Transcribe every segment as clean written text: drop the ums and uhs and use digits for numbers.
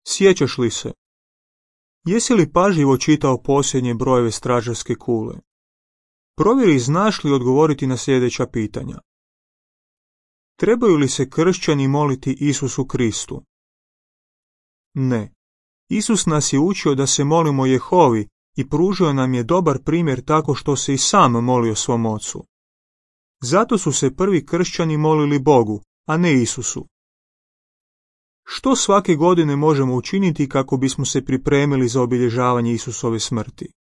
Sjećaš li se? Jesi li pažljivo čitao posljednje brojeve stražarske kule? Provjeri znaš li odgovoriti na sljedeća pitanja. Trebaju li se kršćani moliti Isusu Kristu? Ne. Isus nas je učio da se molimo Jehovi i pružio nam je dobar primjer tako što se i sam molio svom ocu. Zato su se prvi kršćani molili Bogu, a ne Isusu. Što svake godine možemo učiniti kako bismo se pripremili za obilježavanje Isusove smrti?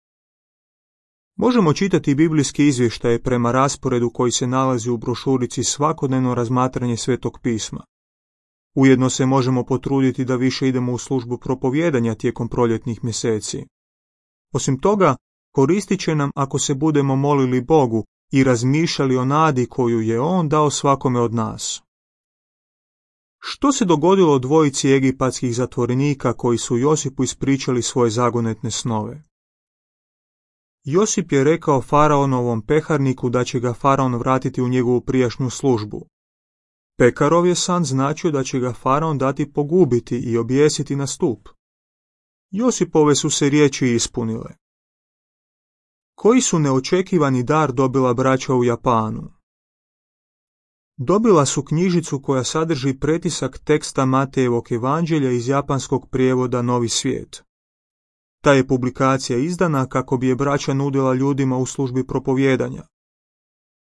Možemo čitati biblijske izvještaje prema rasporedu koji se nalazi u brošurici Svakodnevno razmatranje Svetog pisma. Ujedno se možemo potruditi da više idemo u službu propovijedanja tijekom proljetnih mjeseci. Osim toga, koristit će nam ako se budemo molili Bogu i razmišljali o nadi koju je On dao svakome od nas. Što se dogodilo dvojici egipatskih zatvorenika koji su Josipu ispričali svoje zagonetne snove? Josip je rekao faraonovom peharniku da će ga faraon vratiti u njegovu prijašnju službu. Pekarov je san značio da će ga faraon dati pogubiti i objesiti na stup. Josipove su se riječi ispunile. Koji su neočekivani dar dobila braća u Japanu? Dobila su knjižicu koja sadrži pretisak teksta Matejevog evanđelja iz japanskog prijevoda Novi svijet. Ta je publikacija izdana kako bi je braća nudila ljudima u službi propovijedanja.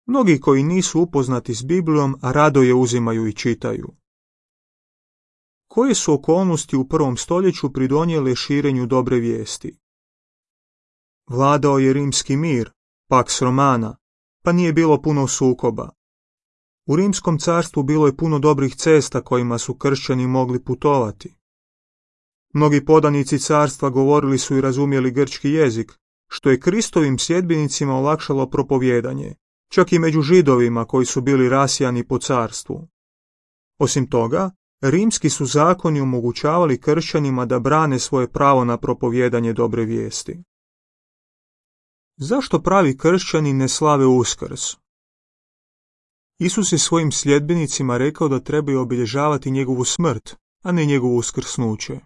Mnogi koji nisu upoznati s Biblijom rado je uzimaju i čitaju. Koje su okolnosti u 1. stoljeću pridonijele širenju dobre vijesti? Vladao je rimski mir, Pax Romana, pa nije bilo puno sukoba. U Rimskom carstvu bilo je puno dobrih cesta kojima su kršćani mogli putovati. Mnogi podanici carstva govorili su i razumjeli grčki jezik, što je Kristovim sljedbenicima olakšalo propovijedanje, čak i među Židovima koji su bili rasijani po carstvu. Osim toga, rimski su zakoni omogućavali kršćanima da brane svoje pravo na propovijedanje dobre vijesti. Zašto pravi kršćani ne slave Uskrs? Isus je svojim sljedbenicima rekao da trebaju obilježavati njegovu smrt, a ne njegovo uskrsnuće.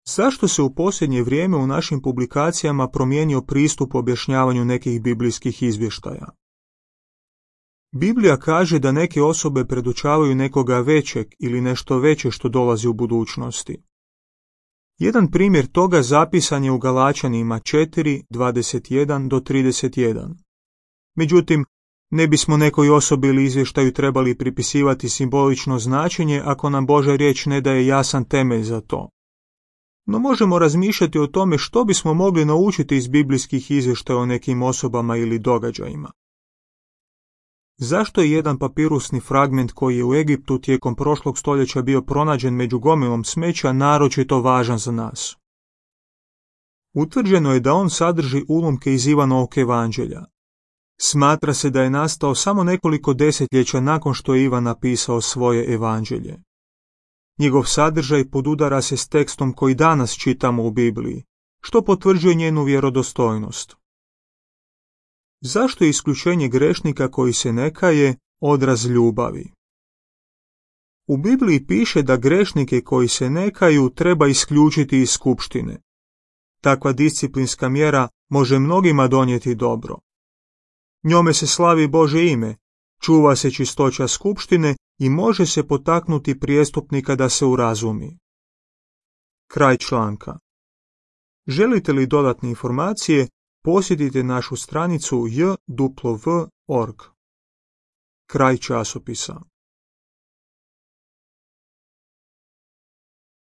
Zašto se u posljednje vrijeme u našim publikacijama promijenio pristup objašnjavanju nekih biblijskih izvještaja? Biblija kaže da neke osobe predočavaju nekoga većeg ili nešto veće što dolazi u budućnosti. Jedan primjer toga zapisan je u Galačanima 4:21-31. Međutim, ne bismo nekoj osobi ili izvještaju trebali pripisivati simbolično značenje ako nam Božja riječ ne daje jasan temelj za to. No možemo razmišljati o tome što bismo mogli naučiti iz biblijskih izvještaja o nekim osobama ili događajima. Zašto je jedan papirusni fragment koji je u Egiptu tijekom prošlog stoljeća bio pronađen među gomilom smeća naročito važan za nas? Utvrđeno je da on sadrži ulomke iz Ivanovog evanđelja. Smatra se da je nastao samo nekoliko desetljeća nakon što je Ivan napisao svoje evanđelje. Njegov sadržaj podudara se s tekstom koji danas čitamo u Bibliji, što potvrđuje njenu vjerodostojnost. Zašto je isključenje grešnika koji se ne kaje odraz ljubavi? U Bibliji piše da grešnike koji se ne kaju treba isključiti iz skupštine. Takva disciplinska mjera može mnogima donijeti dobro. Njome se slavi Božje ime, čuva se čistoća skupštine i može se potaknuti prijestupnika da se urazumi. Kraj članka. Želite li dodatne informacije, posjetite našu stranicu jw.org. Kraj časopisa.